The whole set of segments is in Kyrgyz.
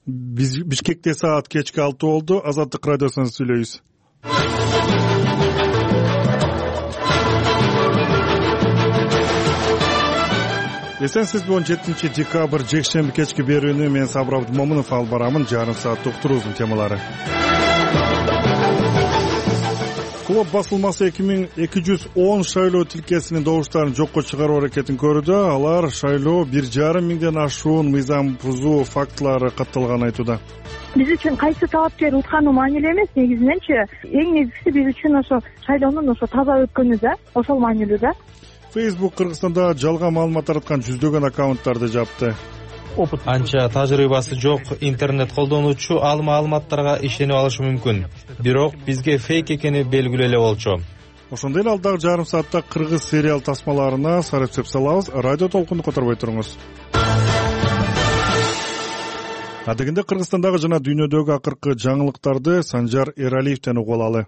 Бишкекте саат кечки 6 болду. Азаттык радиосунан сүйлөйбүз. Эсенсиз, 17 декабрь жекшемби кечки берүүнү мен Сабыр Абдымомунов алып барамын. Жарым саат уктуруубуздун темалары. Клуб басылмасы 2210 шайлоо тилкесинин добуштарын жокко чыгаруу аракетин көрүүдө. Алар шайлоо 1,5 миңден ашуун мыйзам бузуу фактылары катталганын айтууда. Биз үчүн кайсы талапкер утканы маанилүү эмес, негизиненчи эң негизгиси биз үчүн ошо шайлоонун ошо таза өткөнү да, ошол маанилүү да. Facebook Кыргызстанда жалган маалымат тараткан жүздөгөн аккаунттарды жапты. Анча тажрыйбасы жок интернет колдонуучу ал маалыматтарга ишенип алышы мүмкүн. Бирок бизге фейк экени белгилүү эле болчу. Ошондой эле алдагы жарым саатта кыргыз сериал тасмаларына сарапчылык салабыз. Радио толкунду которбой туруңуз. Адегенде Кыргызстандагы жана дүйнөдөгү акыркы жаңылыктарды Санжар Эралиевден угуп алалы.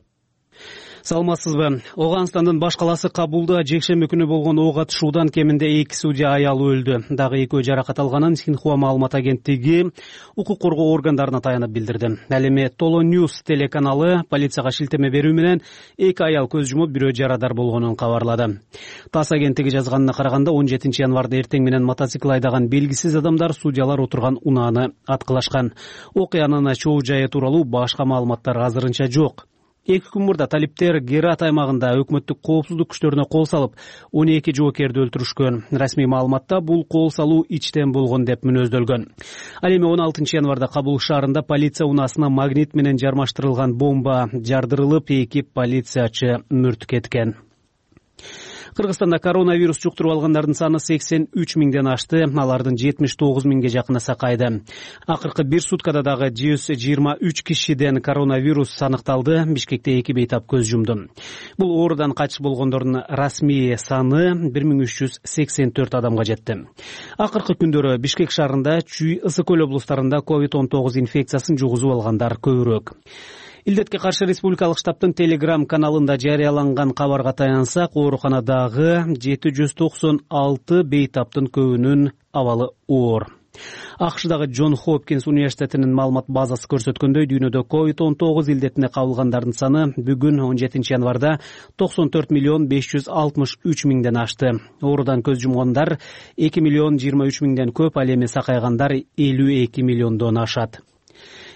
Саламатсызбы? Оганстандын баш калаасы Кабулда жекшемби күнү болгон ок атышуудан кеминде 2 судья аял өлдү. Дагы 2 жаракат алганын Синхуа маалымат агенттиги укук коргоо органдарына таянып билдирди. Ал эми Толо Ньюс телеканалы полицияга шилтеме берүү менен 2 аял көз жумуп, бирөө жарадар болгонун кабарлады. ТАСС агенттиги жазганына караганда 17 январда эртең менен мотоцикл айдаган белгисиз адамдар судьялар отурган унааны аткылашкан. Окуянын чоо жайы тууралуу башка маалыматтар азырынча жок. 2 күн мурда талиптер Герат аймагында өкмөттүк коопсуздук күчтөрүнө кол салып, 12 жоокерди өлтүрүшкөн. Расмий маалыматта бул кол салуу ичтен болгон деп мүнөздөлгөн. Ал эми 16 январда Кабул шаарында полиция унаасына магнит менен жармаштырылган бомба жардырылып, 2 полициячы мүрт кеткен. Кыргызстанда коронавирус жуктуруп алгандардын саны 83 миңден ашты, алардын 79 миңге жакыны сакайды. Акыркы 1 суткада дагы 123 кишиден коронавирус аныкталды. Бишкекте 2 бейтап көз жумду. Бул оорудан кайтыш болгондордун расмий саны 1384 адамга жетти. Акыркы күндөрү Бишкек шаарында, Чүй, Ысык Көл облустарында COVID-19 инфекциясын жугузуп алгандар көбүрөөк. Илдетке каршы республикалык штабтын Telegram каналында жарыяланган кабарга таянсак, ооруканадагы 796 бейтаптын көбүнүн абалы оор. АКШдагы Джон Хопкинс университетинин маалымат базасы көрсөткөндөй, дүйнөдө COVID-19 илдетине кабылгандардын саны бүгүн 17 январда 94,563 миңден ашты. Оорудан көз жумгандар 2,23 көп, ал эми сакайгандар 52 миллиондон ашат.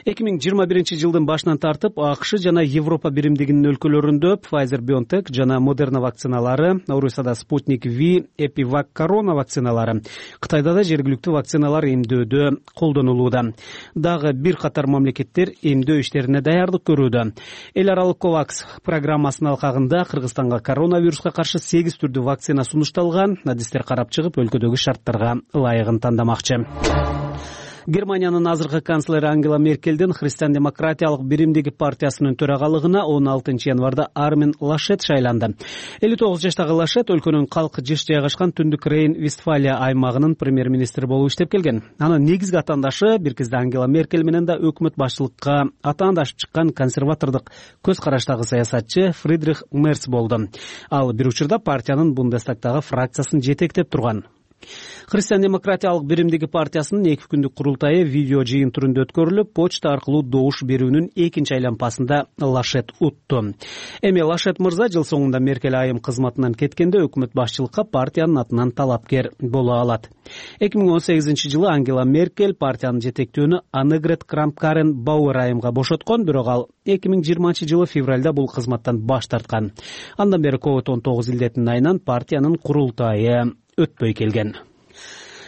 2021 жылдын башынан тартып АКШ жана Европа биримдигинин өлкөлөрүндө Pfizer-BioNTech жана Moderna вакциналары, Орусияда Sputnik V, Epivac Corona вакциналары, Кытайда да жергиликтүү вакциналар эмдөөдө колдонулууда. Дагы бир катар мамлекеттер эмдөө иштерине даярдык көрүүдө. Эл аралык COVAX программасынын алкагында Кыргызстанга коронавируска каршы 8 түрдүү вакцина сунушталган. Адистер карап чыгып, өлкөдөгү шарттарга ылайыгын тандамакчы. Германиянын азыркы канцлери Ангела Меркелдин Христиан-демократиялык биримдиги партиясынын төрагалыгына 16 январда Армин Лашет шайланды. 59 жаштагы Лашет өлкөнүн калк жыш жайгашкан Түндүк Рейн-Вестфалия аймагынын премьер-министри болуп иштеп келген. Анын негизги атаандашы бир кезде Ангела Меркель менен да өкмөт башчылыкка атаандашып чыккан консерватордук көз караштагы саясатчы Фридрих Мерц болду. Ал бир учурда партиянын Бундестагдагы фракциясын жетектеп турган. Христиан-демократиялык биримдиги партиясынын 2 күндүк курултайы видео жыйын түрүндө өткөрүлүп, почта аркылуу добуш берүүнүн 2-нчи айлампасында Лашет утту. Эми Лашет мырза жыл соңунда Меркель айым кызматынан кеткенде өкмөт башчылыкка партиянын атынан талапкер боло алат. 2018 жылы Ангела Меркель партиянын жетектөөнү Аннегрет Крамп-Карен Бауэр айымга бошоткон, бирок ал 2020 жылы февралда бул кызматтан баш тарткан. Андан бери COVID-19 илдетинин айынан партиянын курултайы өтпөй келген.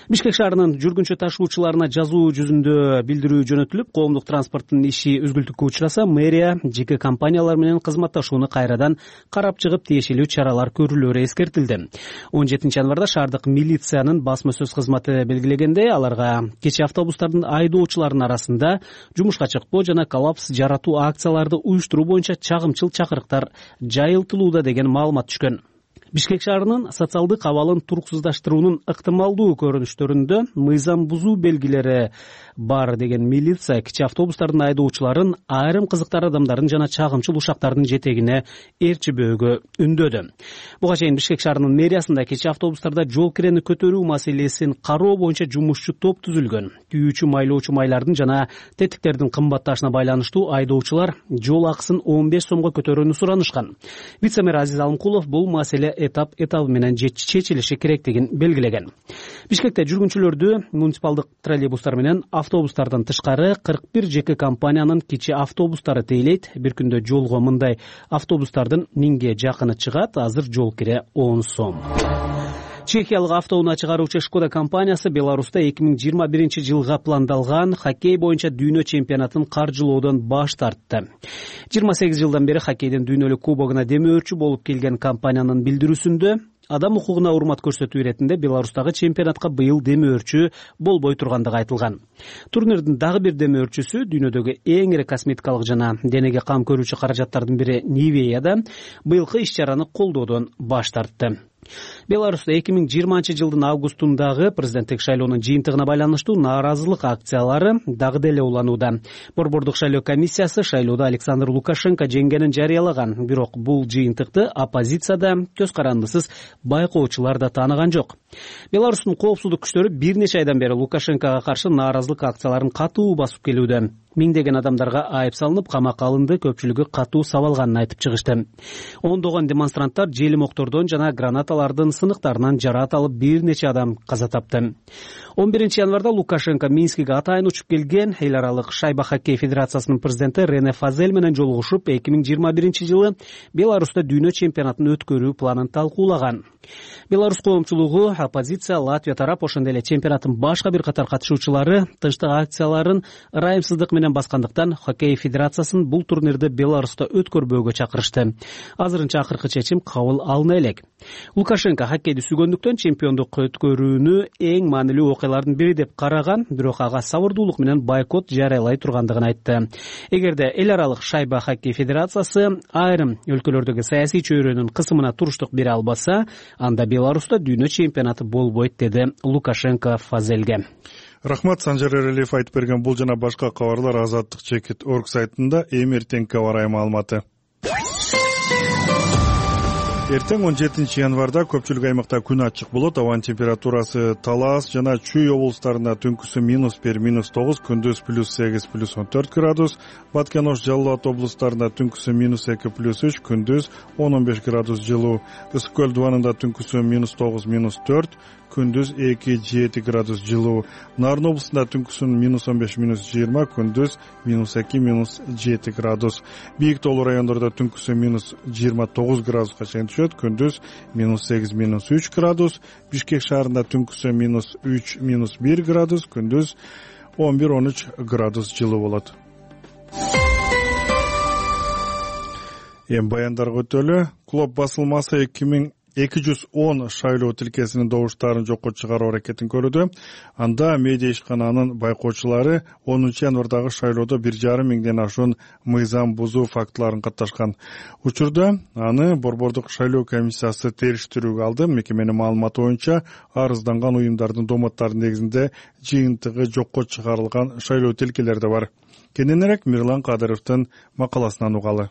Бишкек шаарынын жүргүнчү ташуучуларына жазуу жүзүндө билдирүү жөнөтүлүп, коомдук транспорттун иши үзгүлтүккө учураса, мэрия жеке компаниялар менен кызматташууну кайрадан карап чыгып, тиешелүү чаралар көрүлөөрү эскертилди. 17 январда шаардык милициянын басма сөз кызматы белгилегендей, аларга кечээ автобустардын айдоочуларынын арасында жумушка чыкпоо жана коллапс жаратуу акцияларды уюштуруу боюнча чагымчыл чакырыктар жайылтылууда деген маалымат түшкөн. Бишкек шаарынын социалдык абалын туруксуздаштыруунун ыктымалдуу көрүнүштөрүндө мыйзам бузуу белгилери бар деген милиция кичи автобустардын айдоочуларын айрым кызыктар адамдардын жана чагымчыл ушактардын жетегине ээрчибөөгө үндөдү. Буга чейин Бишкек шаарынын мэриясында кичи автобустарда жол кирени көтөрүү маселесин кароо боюнча жумушчу топ түзүлгөн. Күйүүчү майлоочу майлардын жана тетиктердин кымбатташына байланыштуу айдоочулар жол акысын 15 сомго көтөрүүнү суранышкан. Вице-мэр Азиз Алымкулов бул маселе этап менен чечилиши керектигин белгилеген. Бишкекте жүргүнчүлөрдү муниципалдык троллейбустар менен автобустардан тышкары 41 жеке компаниянын кичи автобустары тейлейт. Бир күндө жолго мындай автобустардын 1000ге жакыны чыгат. Азыр жол кире 10 сом. Чехиялык автоунаа чыгаруучу Шкода компаниясы Беларуста 2021 жылга пландалган хоккей боюнча дүйнө чемпионатын каржылоодон баш тартты. 28 жылдан бери хоккейдин дүйнөлүк кубогуна демөөрчү болуп келген компаниянын билдирүүсүндө адам укугуна урмат көрсөтүү иретинде Беларустагы чемпионатка быйыл демөөрчү болбой тургандыгы айтылган. Турнирдин дагы бир демөөрчүсү дүйнөдөгү эң ири косметикалык жана денеге кам көрүүчү каражаттардын бири Nivea быйылкы иш-чараны колдоодон баш тартты. Беларуста 2020 жылдын августундагы президенттик шайлоонун жыйынтыгына байланыштуу нааразылык акциялары дагы деле уланууда. Борбордук шайлоо комиссиясы шайлоодо Александр Лукашенко жеңгенин жарыялаган, бирок бул жыйынтыкты оппозицияда көз карандысыз байкоочулар да тааныган жок. Беларустун коопсуздук күчтөрү бир нече айдан бери Лукашенкого каршы нааразылык акцияларын катуу басып келүүдө. Миңдеген адамдарга айып салынып, камакка алынды, көпчүлүгү катуу сабалганын айтып чыгышты. Ондогон демонстранттар желимоктордон жана гранаталардын сыныктарынан жараат алып, бир нече адам каза тапты. 11 январда Лукашенко Минскиге атайын учуп келген эл аралык шайба хоккей федерациясынын президенти Рене Фазель менен жолугушуп, 2021 жылы Беларуста дүйнө чемпионатын өткөрүү планын талкуулаган. Беларус коомчулугу, оппозиция, Латвия тарап, ошондой эле чемпионаттын башка бир катар катышуучулары тынчтык акцияларын ырайымсыздык менен баскандыктан хоккей федерациясын бул турнирди Беларуста өткөрбөөгө чакырышты. Азырынча акыркы чечим кабыл алына элек. Лукашенко хоккейди сүйгөндүктөн чемпиондук өткөрүүнү эң маанилүү окуялардын бири деп караган, бирок ага сабырдуулук менен бойкот жарыялай тургандыгын айтты. Эгерде эл аралык шайба хоккей федерациясы айрым өлкөлөрдөгү саясий чөйрөнүн кысымына туруштук бере албаса, анда Беларуста дүйнө чемпионаты болбойт, деди Лукашенко Фазелге. Рахмат, Санжар Эрелиев айтып берген бул жана башка кабарлар Азаттык.org сайтында эми эртеңки аба ырайы маалыматы. Эртең 17 январда көпчүлүк аймакта күн ачык болот. Абанын температурасы Талас жана Чүй облустарында түнкүсү -1, -9, күндүз +8, +14 градус. Баткен Ош, Жалал Абад облустарында түнкүсү -2, +3, күндүз 10-15 градус жылуу. Ысык көл дубанында түнкүсү -9, -4, күндүз 2-7 градус жылуу. Нарын облусунда түнкүсүн -15, -20, күндүз -2, -7 градус. Бийик тоолуу райондордо түнкүсү -29 градуска чейин түшөт, күндүз -8, -3 градус. Бишкек шаарында түнкүсү -3, -1 градус, күндүз 11-13 градус жылуу болот. Эми баяндарга өтөлү. Клоп басылмасы 210 шайлоо тилкесинин добуштарын жокко чыгаруу аракетин көрүүдө. Анда медиа ишкананын байкоочулары 10 январдагы шайлоодо 1,5 миңден ашуун мыйзам бузуу фактыларын катташкан. Учурда аны Борбордук шайлоо комиссиясы териштирүүгө алды. Мекеменин маалыматы боюнча, арызданган уюмдардын домотторунун негизинде жыйынтыгы жокко чыгарылган шайлоо тилкелер да бар. Кененирээк Мирлан Кадыровдун макаласынан угалы.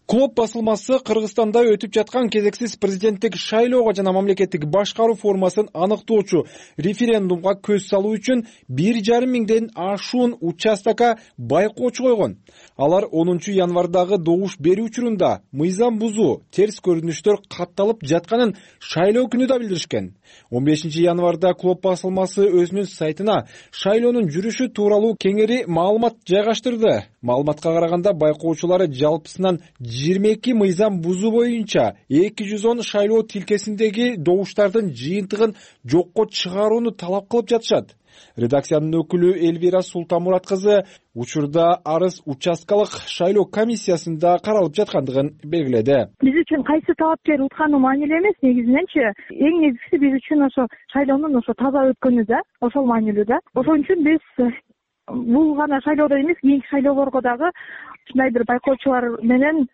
Клоп басылмасы Кыргызстанда өтүп жаткан кезексиз президенттик шайлоого жана мамлекеттик башкаруу формасын аныктоочу референдумга көз салуу үчүн 1,5 миңден ашуун участокко байкоочу койгон. Алар 10 январдагы добуш берүү учурунда мыйзам бузуу, терс көрүнүштөр катталып жатканын шайлоо күнү да билдиришкен. 15 январда Клоп басылмасы өзүнүн сайтына шайлоонун жүрүшү тууралуу кеңири маалымат жайгаштырды. Маалыматка караганда, байкоочулары жалпысынан 22 мыйзам бузуу боюнча 210 шайлоо тилкесиндеги добуштардын жыйынтыгын жокко чыгарууну талап кылып жатышат. Редакциянын өкүлү Элвира Султанмурат кызы учурда арыз участкалык шайлоо комиссиясында каралып жаткандыгын белгиледи. Биз үчүн кайсы талапкер утканы маанилүү эмес, негизиненчи эң негизгиси биз үчүн ошо шайлоонун таза өткөнү да, ошол маанилүү да. Ошон үчүн биз бул гана шайлоодо эмес, кийинки шайлоолорго дагы ушундай бир байкоочулар менен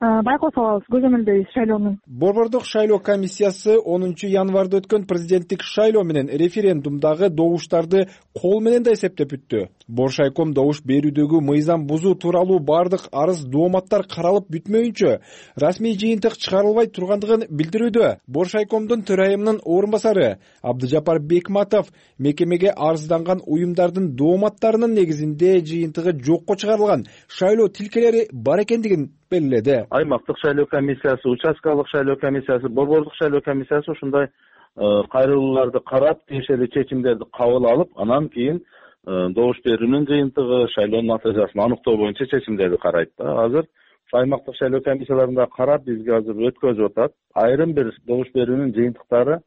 байкоосу алабыз, көзөмөлдөйбүз шайлоонун. Борбордук шайлоо комиссиясы 10 январда өткөн президенттик шайлоо менен референдумдагы добуштарды кол менен да эсептеп бүттү. Боршайком добуш берүүдөгү мыйзам бузуу тууралуу бардык арыз дооматтар каралып бүтмөйүнчө расмий жыйынтык чыгарылбай тургандыгын билдирүүдө. Боршайкомдун төрайымынын орун басары Абдыжапар Бекматов мекемеге арызданган уюмдардын дооматтарынын негизинде жыйынтыгы жокко чыгарылган шайлоо тилкелери бар экендигин белгиледи. Аймактык шайлоо комиссиясы, участкалык шайлоо комиссиясы, борбордук шайлоо комиссиясы ушундай кайрылууларды карап, тиешелүү чечимдерди кабыл алып, анан кийин добуш берүүнүн жыйынтыгы, шайлоонун натыйжасын аныктоо боюнча чечимдерди карайт да. Азыр аймактык шайлоо комиссияларында карап, бизге азыр өткөзүп атат. Айрым бир добуш берүүнүн жыйынтыктары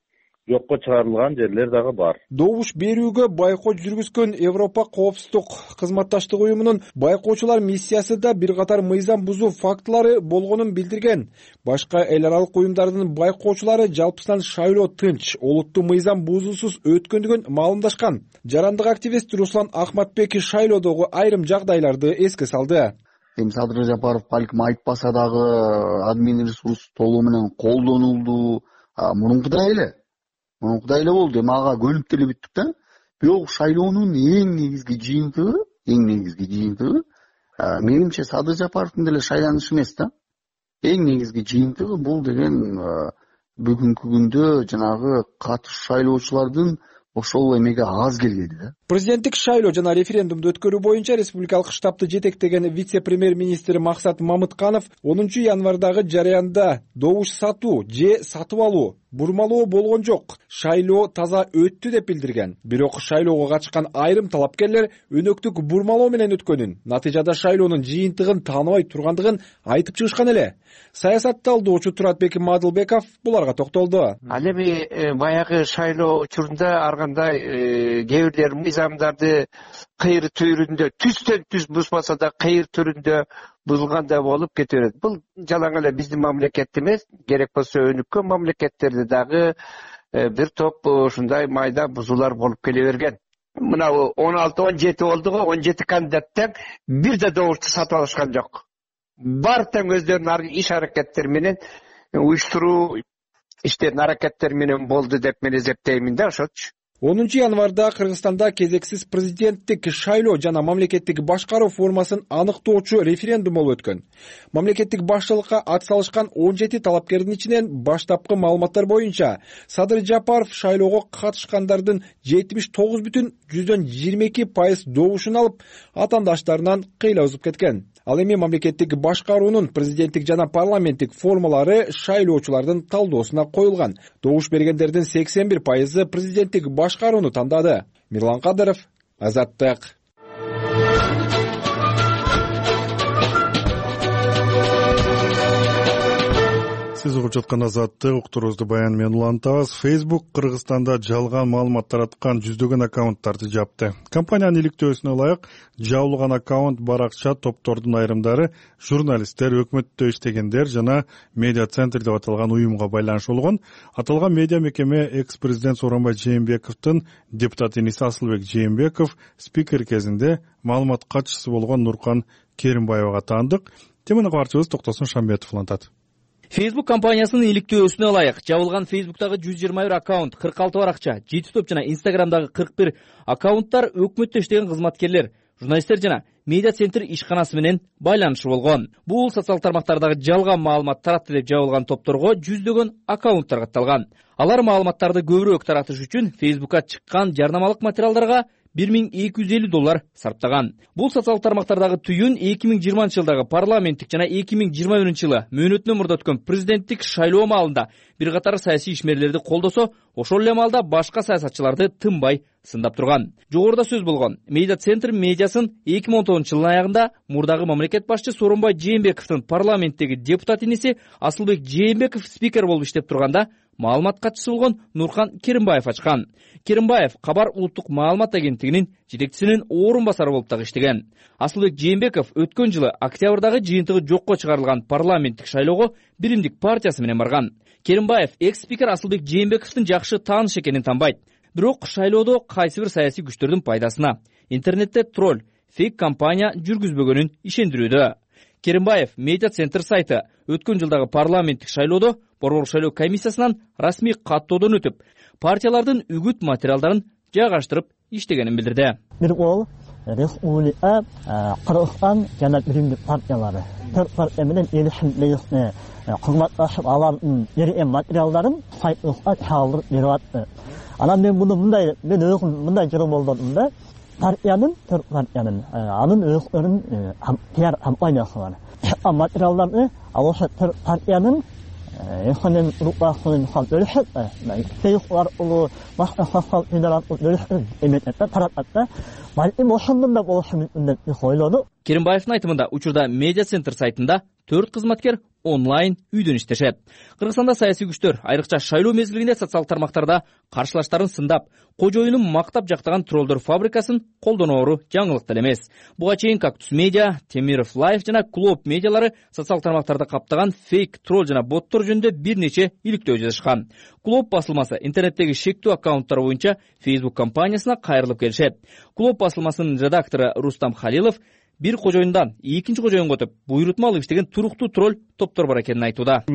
жокко чыгарылган жерлер дагы бар. Добуш берүүгө байкоо жүргүзгөн Европа коопсуздук кызматташтык уюмунун байкоочулар миссиясы да бир катар мыйзам бузуу фактылары болгонун билдирген. Башка эл аралык уюмдардын байкоочулары жалпысынан шайлоо тынч, олуттуу мыйзам бузуусуз өткөндүгүн маалымдашкан. Жарандык активист Руслан Ахматбек шайлоодогу айрым жагдайларды эске салды. Садыр Жапаров балким айтпаса дагы админ ресурс толугу менен колдонулду. Мурункудай эле болду. Мага көнүп деле бүттүк да. Бирок шайлоонун эң негизги жыйынтыгы менимче Садыр Жапаровдун деле шайланышы эмес да. Эң негизги жыйынтыгы бул деген бүгүнкү күндө жанагы катышуу шайлоочулардын ошол эмеге аз келгени да. Президенттик шайлоо жана референдумду өткөрүү боюнча республикалык штабты жетектеген вице-премьер-министр Максат Мамытканов 10 январдагы жарыянда добуш сатуу же сатып алуу, бурмалоо болгон жок, шайлоо таза өттү деп билдирген. Бирок шайлоого катышкан айрым талапкерлер өнөктүк бурмалоо менен өткөнүн, натыйжада шайлоонун жыйынтыгын тааныбай тургандыгын айтып чыгышкан эле. Саясат талдоочу Туратбек Мадылбеков буларга токтолду. Ал эми баягы шайлоо учурунда аргандай кээ бирлер мыйзамдарды кыйыр түрүндө түстөн түз бузбаса да кыйыр түрүндө бузулгандай болуп кете берет. Бул жалаң эле биздин мамлекет эмес, керек болсо өнүккөн мамлекеттерде дагы бир топ ушундай майда бузуулар болуп келе берген. Мына 16-17 болду го, 17 кандидаттан бир да добушту сатып алышкан жок. Бар тең өздөрүнүн иш аракеттери менен уюштуруу иштеринин аракеттери менен болду деп мен эсептеймин да ошочу. 10 январда Кыргызстанда кезексиз президенттик шайлоо жана мамлекеттик башкаруу формасын аныктоочу референдум болуп өткөн. Мамлекеттик башчылыкка ат салышкан 17 талапкердин ичинен баштапкы маалыматтар боюнча Садыр Жапаров шайлоого катышкандардын 79,22% добушун алып, атаандаштарынан кыйла узуп кеткен. Ал эми мамлекеттик башкаруунун президенттик жана парламенттик формалары шайлоочулардын талдоосуна коюлган. Добуш бергендердин 81% президенттик башкарууну тандады. Мирлан Кадыров, Азаттык. Сиз угуп жаткан Азаттык, уктуруубузду баян менен улантабыз. Facebook Кыргызстанда жалган маалымат тараткан жүздөгөн аккаунттарды жапты. Компаниянын иликтөөсүнө ылайык, жабылган аккаунт баракча топтордун айрымдары журналисттер, өкмөттө иштегендер жана медиа центр деп аталган уюмга байланыш болгон. Аталган медиа мекеме экс-президент Сооронбай Жээнбековдун депутат иниси Асылбек Жээнбеков спикер кезинде маалымат катчысы болгон Нуркан Керимбаевага таандык. Теманы кабарчыбыз Токтосун Шамбетов улантат. Facebook компаниясынын иликтөөсүнө ылайык жабылган Facebook'тагы 121 аккаунт, 46 баракча, JTTop жана Instagram'дагы 41 аккаунттар өкмөттө иштеген кызматкерлер, журналисттер жана медиа центр ишканасы менен байланышы болгон. Бул социалдык тармактардагы жалган маалымат таратты деп жабылган топторго жүздөгөн аккаунттар катталган. Алар маалыматтарды көбүрөөк таратыш үчүн Facebook'ка чыккан жарнамалык материалдарга $1250 сарптаган. Бул социалдык тармактардагы түйүн 2020 жылдагы парламенттик жана 2021 жылы мөөнөтүнөн мурда өткөн президенттик шайлоо маалында бир катар саясий ишмерлерди колдосо, ошол эле маалда башка саясатчыларды тынбай сындап турган. Жогоруда сөз болгон медиа центр медиасын 2019 жылдын аягында мурдагы мамлекет башчы Сооронбай Жээнбековдун парламенттеги депутат иниси Асылбек Жээнбеков спикер болуп иштеп турганда маалымат катчысы болгон Нуркан Керимбаев ачкан. Керимбаев Кабар улуттук маалымат агенттигинин жетекчисинин орун басары болуп дагы иштеген. Асылбек Жээнбеков өткөн жылы октябрдагы жыйынтыгы жокко чыгарылган парламенттик шайлоого Биримдик партиясы менен барган. Керимбаев экс-спикер Асылбек Жээнбековдун жакшы тааныш экенин танбайт. Бирок шайлоодо кайсы бир саясий күчтөрдүн пайдасына интернетте тролль, фейк компания жүргүзбөгөнүн ишендирүүдө. Керимбаев медиа центр сайты өткөн жылдагы парламенттик шайлоодо борбордук шайлоо комиссиясынан расмий каттоодон өтүп, партиялардын үгүт материалдарын жайгаштырып иштегенин билдирди. Бир ол республика, Кыргызстан жана биримдик партиялары партия менен элишимдеги кызматташып алардын берген материалдарын сайтыбызга чагылдырып берип атты. Анан мен өзүм мындай жолдордум да, партиянын анын өздөрүнүн пиар компаниясы бар. Материалдарды ошо партиянын экономик рукасынын бөлүшөт, Facebook аркылуу, башка социалдык медиа аркылуу бөлүшөт, эметет, таратат да. Балким ошондон да болушу мүмкүн деп ойлоду. Керимбаевдин айтымында, учурда медиа центр сайтында 4 кызматкер онлайн үйдөн иштешет. Кыргызстанда саясий күчтөр айрыкча шайлоо мезгилинде социалдык тармактарда каршылаштарын сындап, кожоюнун мактап жактаган троллдор фабрикасын колдоноору жаңылык деле эмес. Буга чейин Кактус медиа, Темиров Лайф жана Клоп медиалары социалдык тармактарда каптаган фейк тролл жана боттор жөнүндө бир нече иликтөө жазышкан. Клоп басылмасы интернеттеги шектүү аккаунттар боюнча Facebook компаниясына кайрылып келишет. Клоп басылмасынын редактору Рустам Халилов бир кожоюндан экинчи кожоюнга өтүп, буйрутма алып иштеген туруктуу тролл топтор бар экенин айтууда.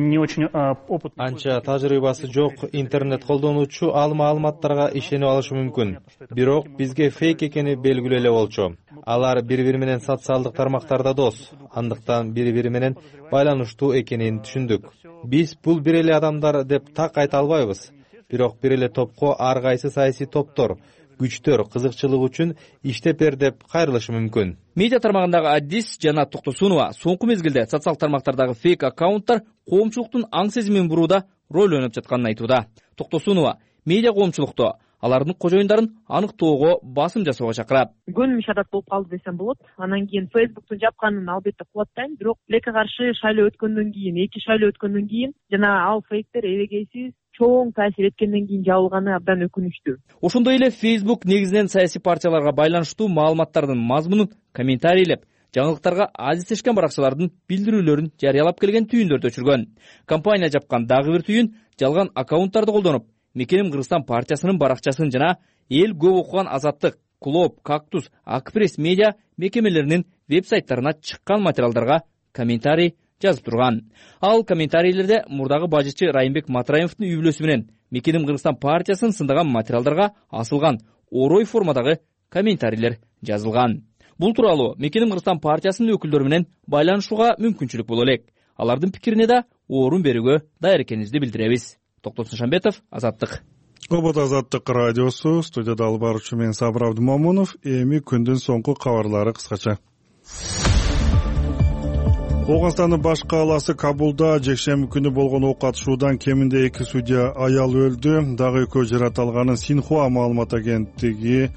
Анча тажрыйбасы жок интернет колдонуучу ал маалыматтарга ишенип алышы мүмкүн. Бирок бизге фейк экени белгилүү эле болчу. Алар бири-бири менен социалдык тармактарда дос, андыктан бири-бири менен байланыштуу экенин түшүндүк. Биз бул бир эле адамдар деп так айта албайбыз. Бирок бир эле топко ар кайсы саясий топтор, күчтөр кызыкчылык үчүн иштеп бер деп кайрылышы мүмкүн. Медиа тармагындагы Адис Жанат Токтосунова соңку мезгилде социалдык тармактардагы фейк аккаунттар коомчулуктун аң сезимин бурууда роль ойноп жатканын айтууда. Токтосунова медиа коомчулукту алардын кожоюндарын аныктоого басым жасоого чакырат. Көнүмүш адат болуп калды десем болот. Анан кийин Facebook'тун жапканын албетте кубаттайм, бирок тилекке каршы шайлоо өткөндөн кийин, 2 шайлоо өткөндөн кийин жана ал фейктер эбегейсиз чоң таасир эткенден кийин жабылганы абдан өкүнүчтүү. Ошондой эле Facebook негизинен саясий партияларга байланыштуу маалыматтардын мазмунун комментарийлеп, жаңылыктарга азиздешкен баракчалардын билдирүүлөрүн жарыялап келген түйүндөрдү өчүргөн. Компания жапкан дагы бир түйүн жалган аккаунттарды колдонуп, Мекеним Кыргызстан партиясынын баракчасын жана эл көп окуган Азаттык, Клоп, Кактус, Акпресс медиа мекемелеринин веб-сайттарына чыккан материалдарга комментарий жазып турган. Ал комментарийлерде мурдагы бажычы Райымбек Матраимовдун үй бүлөсү менен Мекеним Кыргызстан партиясын сындаган материалдарга асылган орой формадагы комментарийлер жазылган. Бул тууралуу Мекеним Кыргызстан партиясынын өкүлдөрү менен байланышууга мүмкүнчүлүк боло элек. Алардын пикирине да орун берүүгө даяр экенибизди билдиребиз. Токтосун Шамбетов, Азаттык. Обод Азаттык радиосу, студияда алып баруучу мен Сабыр Абдымомунов. Эми күндүн соңку кабарлары кыскача. Оогунстандын баш кааласы Кабулда жекшемби күнү болгон ок атышуудан кеминде 2 судья аял өлдү. Дагы 2 жараталганын Синхуа маалымат агенттиги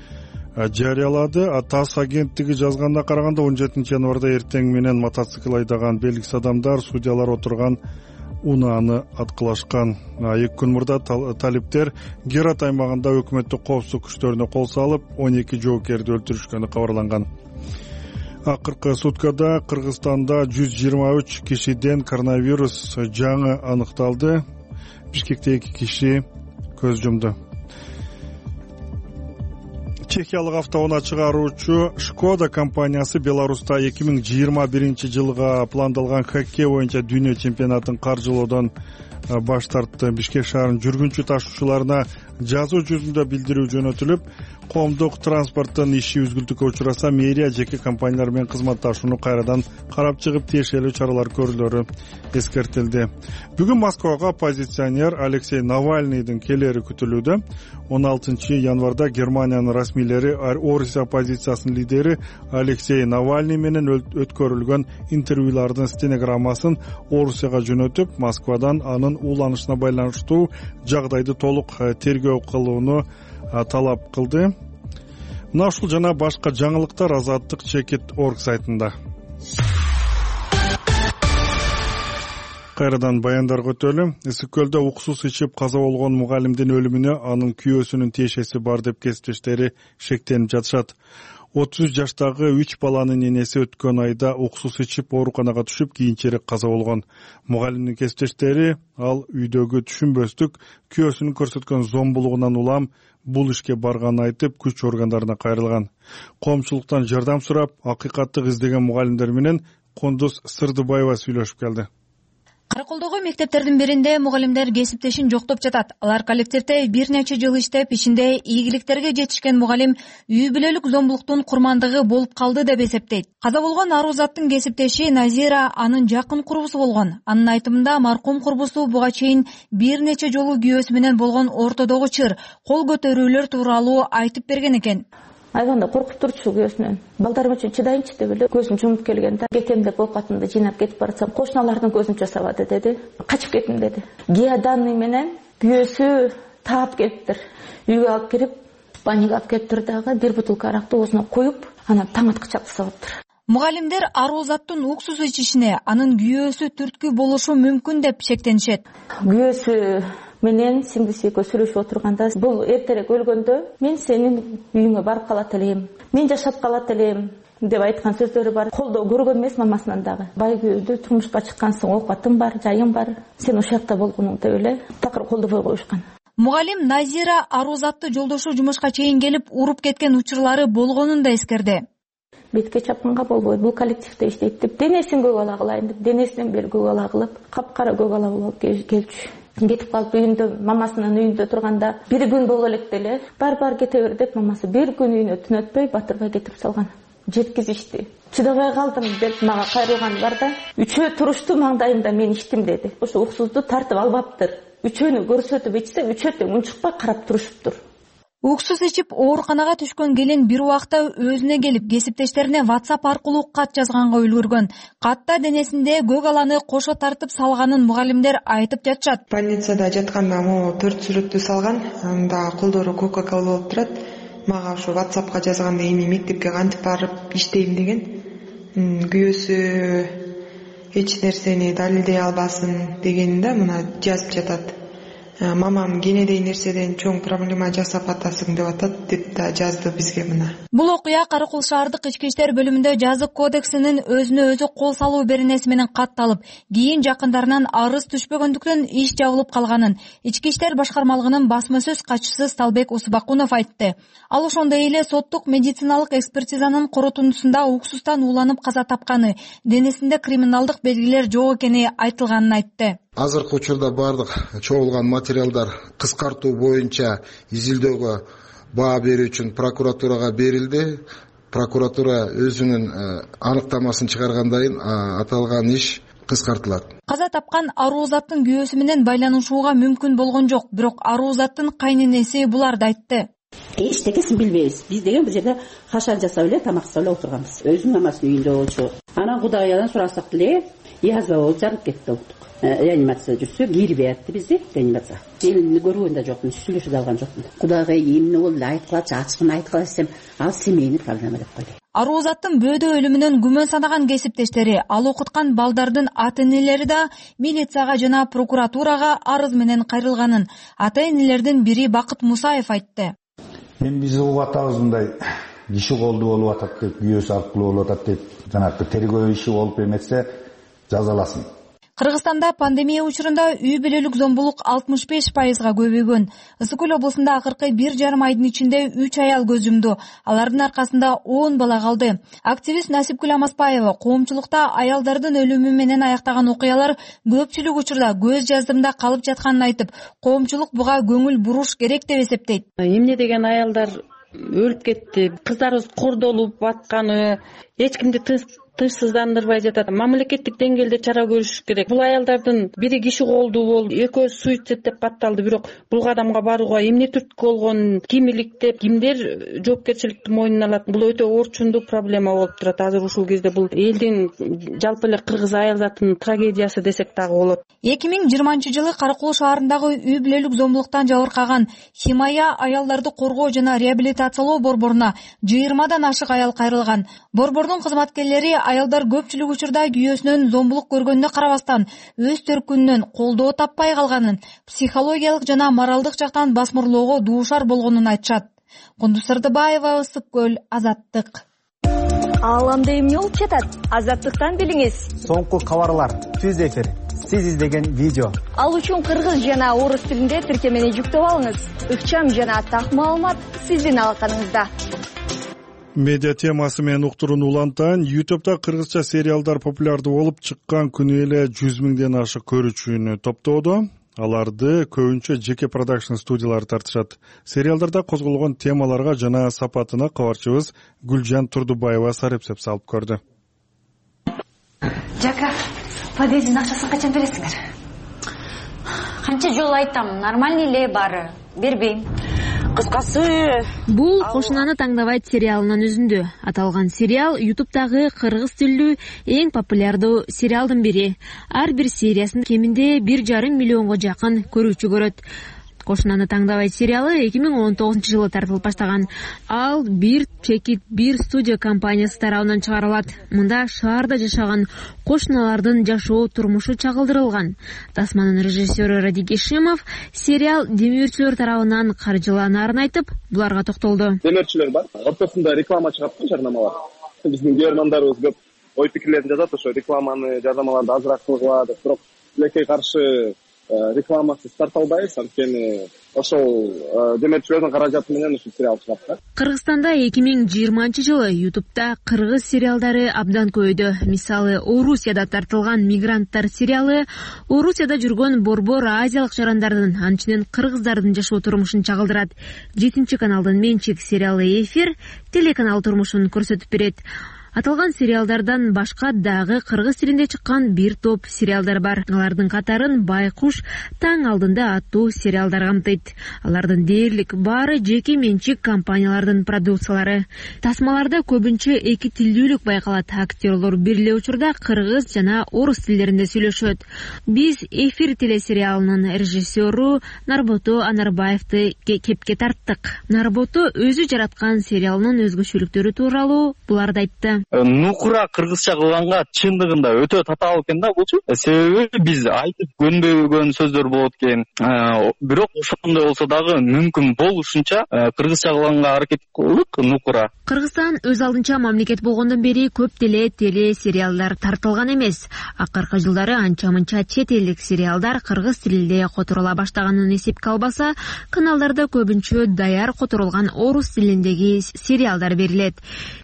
жарыялады. ТАСС агенттиги жазганына караганда 17 январда эртең менен мотоцикл айдаган белгисиз адамдар судьялар отурган унааны аткылашкан. 2 күн мурда талиптер Герат аймагында өкмөттүк коопсуздук күчтөрүнө кол салып, 12 жоокерди өлтүрүшкөнү кабарланган. Акыркы суткада Кыргызстанда 123 кишиден коронавирус жаңы аныкталды. Бишкекте 2 киши көз жумду. Чехиялык автоунаа чыгаруучу Шкода компаниясы Беларуста 2021 жылга пландалган хоккей боюнча дүйнө чемпионатын каржылоодон баш тартты. Бишкек шаарынын жүргүнчү ташуучуларына жазуу жүзүндө билдирүү жөнөтүлүп, коомдук транспорттун иши үзгүлтүккө учураса, мэрия жеке компаниялар менен кызматташууну кайрадан карап чыгып, тиешелүү чаралар көрүлөрү эскертилди. Бүгүн Москвага оппозиционер Алексей Навальныйдын келери күтүлүүдө. 16 январда Германиянын расмийлери Орусия оппозициясынын лидери Алексей Навальный менен өткөрүлгөн интервьюлардын стенограммасын Орусияга жөнөтүп, Москвадан анын ууланышына байланыштуу жагдайды толук тергөө кылууну талап кылды. Мына ушул жана башка жаңылыктар Азаттык Чекит.org сайтында. Кайрадан баяндарга өтөлү. Ысык көлдө уксус ичип каза болгон мугалимдин өлүмүнө анын күйөөсүнүн тиешеси бар деп кесиптештери шектенип жатышат. 33 жаштагы 3 баланын энеси өткөн айда уксус ичип ооруканага түшүп, кийинчерээк каза болгон. Мугалимдин кесиптештери ал үйдөгү түшүнбөстүк күйөөсүнүн көрсөткөн зомбулугунан улам бул ишке барганын айтып, күч органдарына кайрылган. Коомчулуктан жардам сурап, акыйкатты издеген мугалимдер менен Кондуз Сырдыбаева сүйлөшүп келди. Караколдогу мектептердин биринде мугалимдер кесиптешин жоктоп жатат. Алар коллективде бир нече жыл иштеп, ишинде ийгиликтерге жетишкен мугалим үй бүлөлүк зомбулуктун курмандыгы болуп калды деп эсептейт. Каза болгон Арузаттын кесиптеши Назира анын жакын курбусу болгон. Анын айтымында маркум курбусу буга чейин бир нече жолу күйөөсү менен болгон ортодогу чыр, кол көтөрүүлөр тууралуу айтып берген экен. Айганда коркуп турчу күйөөсүнөн. Балдарым үчүн чыдайынчы деп эле көзүм жумуп келген да. Кетем деп оокатымды жыйнап кетип баратсам, кошуналардын көзүн жасабады деди. Качып кеттим деди. Геоданный менен күйөөсү таап келиптир. Үйгө алып кирип, спальняга алып келиптир дагы, бир бутылка аракты оозуна куюп, анан таң аткыча жасаптыр. Мугалимдер Арузаттын уксус ичишине анын күйөөсү түрткү болушу мүмкүн деп шектенишет. Күйөөсү менен сиңдиси экөө сүйлөшүп отурганда, бул эртерээк өлгөндө мен сенин үйүңө барып калат элем, мен жашап калат элем деп айткан сөздөрү бар. Колдоо көргөн эмес мамасынан дагы. Бай күйөөдө турмушка чыккансың, оокатың бар, жайың бар, сен ошол жакта болгонуң деп эле такыр колдобой коюшкан. Мугалим Назира Арузатты жолдошу жумушка чейин келип уруп кеткен учурлары болгонун да эскерди. Бетке чапканга болбойт, бул коллективде иштейт деп денесин көк ала кылайын деп, денесинен бери көк ала кылып, капкара көк ала болуп келчү. Кетип калып үйүндө, мамасынын үйүндө турганда, бир күн боло элек деле, бар кете бер деп мамасы бир күн үйүнө түн өтпөй батырбай кетирип салган. Жеткизишти. Чыдабай калдым деп мага кайрылган бар да, үчөө турушту маңдайымда мен иштим деди. Ошо уксузду тартып албаптыр. Үчөөнү көрсөтүп ичсе, үчөө тең унчукпай карап турушуптур. Уксус ичип ооруканага түшкөн келин бир убакта өзүнө келип, кесиптештерине WhatsApp аркылуу кат жазганга үлгүргөн. Катта денесинде көк аланы кошо тартып салганын мугалимдер айтып жатышат. Больницада жатканда могу 4 сүрөттү салган, анда колдору Coca-Cola болуп турат. Мага ошо WhatsAppка жазганда эми мектепке кантип барып иштейм деген. Күйөөсү эч нерсени далилдей албасын дегенде мына жазып жатат. Мамам кенедей нерседен чоң проблема жасап атасың деп атат деп да жазды бизге мына. Бул окуя Каракол шаардык ички иштер бөлүмүндө жазык кодексинин өзүнө өзү кол салуу беренеси менен катталып, кийин жакындарынан арыз түшпөгөндүктөн иш жабылып калганын ички иштер башкармалыгынын басма сөз катчысы Сталбек Усубакунов айтты. Ал ошондой эле соттук медициналык экспертизанын корутундусунда уксустан ууланып каза тапканы, денесинде криминалдык белгилер жок экени айтылганын айтты. Азыркы учурда бардык чогулган материалдар кыскартуу боюнча изилдөөгө баа берүү үчүн прокуратурага берилди. Прокуратура өзүнүн аныктамасын чыгаргандан аталган иш кыскартылат. Каза тапкан Арузаттын күйөөсү менен байланышууга мүмкүн болгон жок, бирок Арузаттын кайненеси буларды айтты. Эчтекесин билбейбиз. Биз деген бул жерде хашар жасап эле, тамак жасап эле отурганбыз. Өзүнүн мамасынын үйүндө болчу. Анан Кудайдан сурасак деле, язва болуп жарып кетти. Реанимация жүрсө, кирип атты бизди реанимация. Элимди көргөн да жокмун, сүйлөшүп да алган жокмун. Кудайга эмне болду, айткылачы, ачыгын айткыла десем, ал семейный проблема деп койду. Арузаттын бөөдө өлүмүнөн күмөн санаган кесиптештери, ал окуткан балдардын ата-энелери да милицияга жана прокуратурага арыз менен кайрылганын ата-энелердин бири Бакыт Мусаев айтты. Биз угуп атабыз мындай киши колду болуп атат деп, күйөөсү аркылуу болуп атат деп, жанагы тергөө иши болуп эметсе жазаласын. Кыргызстанда пандемия учурунда үй бүлөлүк зомбулук 65%га көбөйгөн. Ысык Көл облусунда акыркы 1,5 айдын ичинде 3 аял көз жумду. Алардын аркасында 10 бала калды. Активист Насипкүл Амаспаева коомчулукта аялдардын өлүмү менен аяктаган окуялар көпчүлүк учурда көз жаздымда калып жатканын айтып, коомчулук буга көңүл буруш керек деп эсептейт. Эмне деген аялдар өлүп кетти, кыздарыбыз кордолуп атканы, эч кимди тынчсыздандырбай жатат. Мамлекеттик деңгээлде чара көрүш керек. Бул аялдардын бири киши колдуу болду, экөө суицид деп катталды, бирок бул кадамга барууга эмне түрткү болгон, ким иликтеп, кимдер жоопкерчиликти мойнуна алат? Бул өтө орчундуу проблема болуп турат. Азыр ушул кезде бул элдин жалпы эле кыргыз аял затынын трагедиясы десек дагы болот. 2020-жылы Каракол шаарындагы үй бүлөлүк зомбулуктан жабыркаган Химая аялдарды коргоо жана реабилитациялоо борборуна 20дан ашык аял кайрылган. Борбордун кызматкерлери аялдар көпчүлүк учурда күйөөсүнөн зомбулук көргөнүнө карабастан өз төркүнүнөн колдоо таппай калганын, психологиялык жана моралдык жактан басмырлоого дуушар болгонун айтышат. Кундуз Сырдыбаева, Ысык Көл, Азаттык. Ааламда эмне болуп жатат? Азаттыктан билиңиз. Соңку кабарлар, түз эфир, сиз издеген видео. Ал үчүн кыргыз жана орус тилинде тиркемени жүктөп алыңыз. Ыкчам жана так маалымат сиздин алаканыңызда. Медиа темасы менен уктурууну улантайын. YouTube'да кыргызча сериалдар популярдуу болуп чыккан күнү эле 100 миңден ашык көрүүчүнү топтоодо. Аларды көбүнчө жеке продакшн студиялары тартышат. Сериалдарда козголгон темаларга жана сапатына кабарчыбыз Гүлжан Турдубаева сарепсеп салып көрдү. Жака, подъездин акчасын качан бересиңер? Канча жолу айтам, нормальный эле баары. Бербейм. Кыскасы, бул Кошунаны таңдабайт сериалынын үзүндү. Аталган сериал YouTube'дагы кыргыз тилдүү эң популярдуу сериалдын бири. Ар бир сериясын кеминде 1,5 миллионго жакын көрүүчү көрөт. Кошунаны таңдабайт сериалы 2019-жылы тартылып баштаган. Ал бир чекит бир студия компаниясы тарабынан чыгарылат. Мында шаарда жашаган кошуналардын жашоо турмушу чагылдырылган. Тасманын режиссеру Радик Ишимов сериал демөөрчүлөр тарабынан каржыланаарын айтып, буларга токтолду. Демөөрчүлөр бар. Ортосунда реклама чыгат, жарнамалар. Биздин көрөрмандарыбыз көп ой пикирлерин жазат, ошо рекламаны, жарнамаларды азыраак кылгыла деп, бирок тилекке каршы рекламасыз тарта албайбыз, анткени ошол демөөрчүлөрдүн каражаты менен ушул сериал чыгат да. Кыргызстанда 2020-жылы YouTube'да кыргыз сериалдары абдан көбөйдү. Мисалы, Орусияда тартылган Мигранттар сериалы Орусияда жүргөн борбор азиялык жарандардын, анчинен кыргыздардын жашоо турмушун чагылдырат. 7-каналдын менчик сериалы Эфир телеканал турмушун көрсөтүп берет. Аталган сериалдардан башка дагы кыргыз тилинде чыккан бир топ сериалдар бар. Алардын катарын Байкуш таң алдында аттуу сериалдар камтыйт. Алардын дээрлик баары жеке менчик компаниялардын продукциялары. Тасмаларда көбүнчө эки тилдүүлүк байкалат. Актерлор бир эле учурда кыргыз жана орус тилдеринде сүйлөшөт. Биз Эфир телесериалынын режиссеру Нарбото Анарбаевди кепке тарттык. Нарбото өзү жараткан сериалынын өзгөчөлүктөрү тууралуу буларды айтты. Нукура кыргызча кылганга чындыгында өтө татаал экен да булчу. Себеби биз айтып көнбөгөн сөздөр болот экен. Бирок ошондой болсо дагы мүмкүн болушунча кыргызча кылганга аракет кылдык Нукура. Кыргызстан өз алдынча мамлекет болгондон бери көп деле телесериалдар тартылган эмес. Акыркы жылдары анча-мынча чет элдик сериалдар кыргыз тилинде которула баштаганын эсепке албаса, каналдарда көбүнчө даяр которулган орус тилиндеги сериалдар берилет.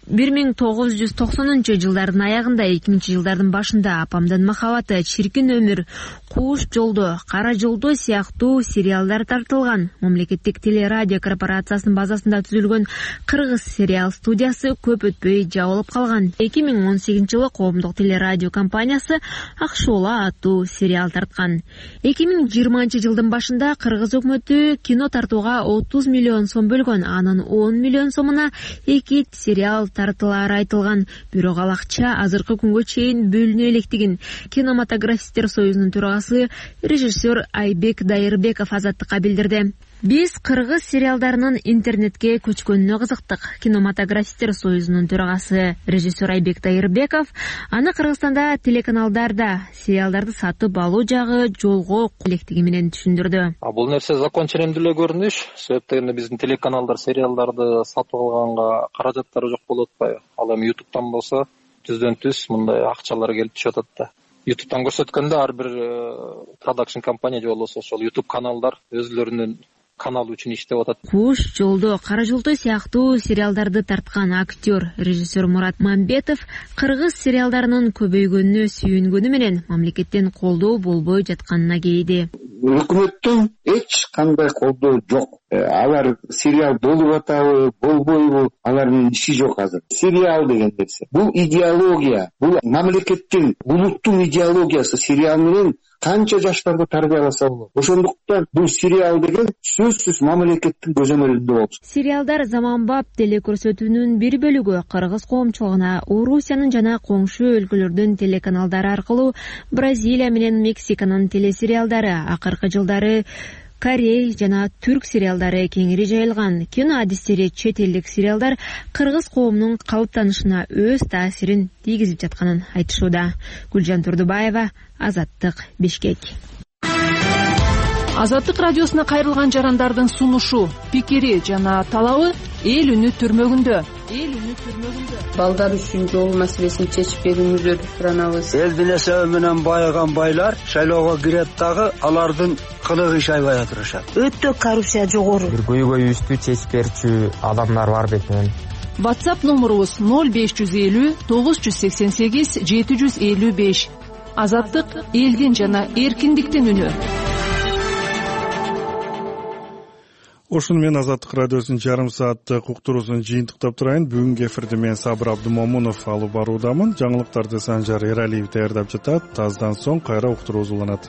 1990-жылдардын аягында, 2000-жылдардын башында Апамдын махабаты, Чиркин өмүр, Кууш жолдо, Кара жолдо сыяктуу сериалдар тартылган. Мамлекеттик телерадио корпорациясынын базасында түзүлгөн кыргыз сериал студиясы көп өтпөй жабылып калган. 2018-жылы коомдук телерадио компаниясы Ак Шоола аттуу сериал тарткан. 2020-жылдын башында кыргыз өкмөтү кино тартууга 30 миллион сом бөлгөн. Анын 10 миллион сомуна 2 сериал тартылары айтылган. Бирок ал акча азыркы күнгө чейин бөлүнө электигин кинематографисттер союзунун төрагасы режиссер Айбек Дайырбеков Азаттыкка билдирди. Биз кыргыз сериалдарынын интернетке көчкөнүнө кызыктык. Кинематографисттер союзунун төрагасы режиссер Айбек Дайырбеков аны Кыргызстанда телеканалдарда сериалдарды сатып алуу жагы жолго электиги менен түшүндүрдү. Бул нерсе закон ченемдүү эле көрүнүш. Себептен биздин телеканалдар сериалдарды сатып алганга каражаттары жок болуп атпайбы? Ал эми YouTube'дан болсо түздөн-түз мындай акчалар келип түшүп атат да. YouTube'дан көрсөткөндө ар бир продакшн компания же болбосо ошол YouTube каналдар өзлөрүнүн каналы үчүн иштеп атат. Куш жолдо, Кара жолдо сыяктуу сериалдарды тарткан актер, режиссер Мурат Мамбетов кыргыз сериалдарынын көбөйгөнүнө сүйүнгөнү менен мамлекеттен колдоо болбой жатканына кейиди. Өкмөттөн эч кандай колдоо жок. Алар сериал болуп атабы, болбойбу, алардын иши жок азыр. Сериал деген нерсе бул идеология, бул мамлекеттин, улуттун идеологиясы. Сериал менен канча жаштарды тарбияласа болот. Ошондуктан бул сериал деген сөзсүз мамлекеттин көзөмөлүндө болчу. Сериалдар заманбап телекөрсөтүүнүн бир бөлүгү кыргыз коомчулугуна Орусиянын жана коңшу өлкөлөрдүн телеканалдары аркылуу Бразилия менен Мексиканын телесериалдары, акыркы жылдары Корей жана түрк сериалдары кеңири жайылган. Кино адистери чет элдик сериалдар кыргыз коомунун калыптанышына өз таасирин тийгизип жатканын айтышууда. Гүлжан Турдубаева, Азаттык, Бишкек. Азаттык радиосуна кайрылган жарандардын сунушу, пикири жана талабы эл үнү түрмөгүндө. Балдар үчүн жол маселесин чечип берүүңүздөрдү суранабыз. Элдин эсеби менен байыган байлар шайлоого кирет дагы алардын кылыгы иш айбай турушат. Өтө коррупция жогору. Бир көйгөйүбүздү чечип берчү адамдар бар бетинен. WhatsApp номурубуз 0550 988 755. Азаттык элдин жана эркиндиктин үнү. Ошону менен Азаттык радиосунун жарым сааттык уктуруусун жыйынтыктап турайын. Бүгүнкү эфирде мен Сабыр Абдымомунов алып баруудамын. Жаңылыктарды Санжар Эралиев даярдап жатат. Аздан соң кайра уктуруубуз уланат.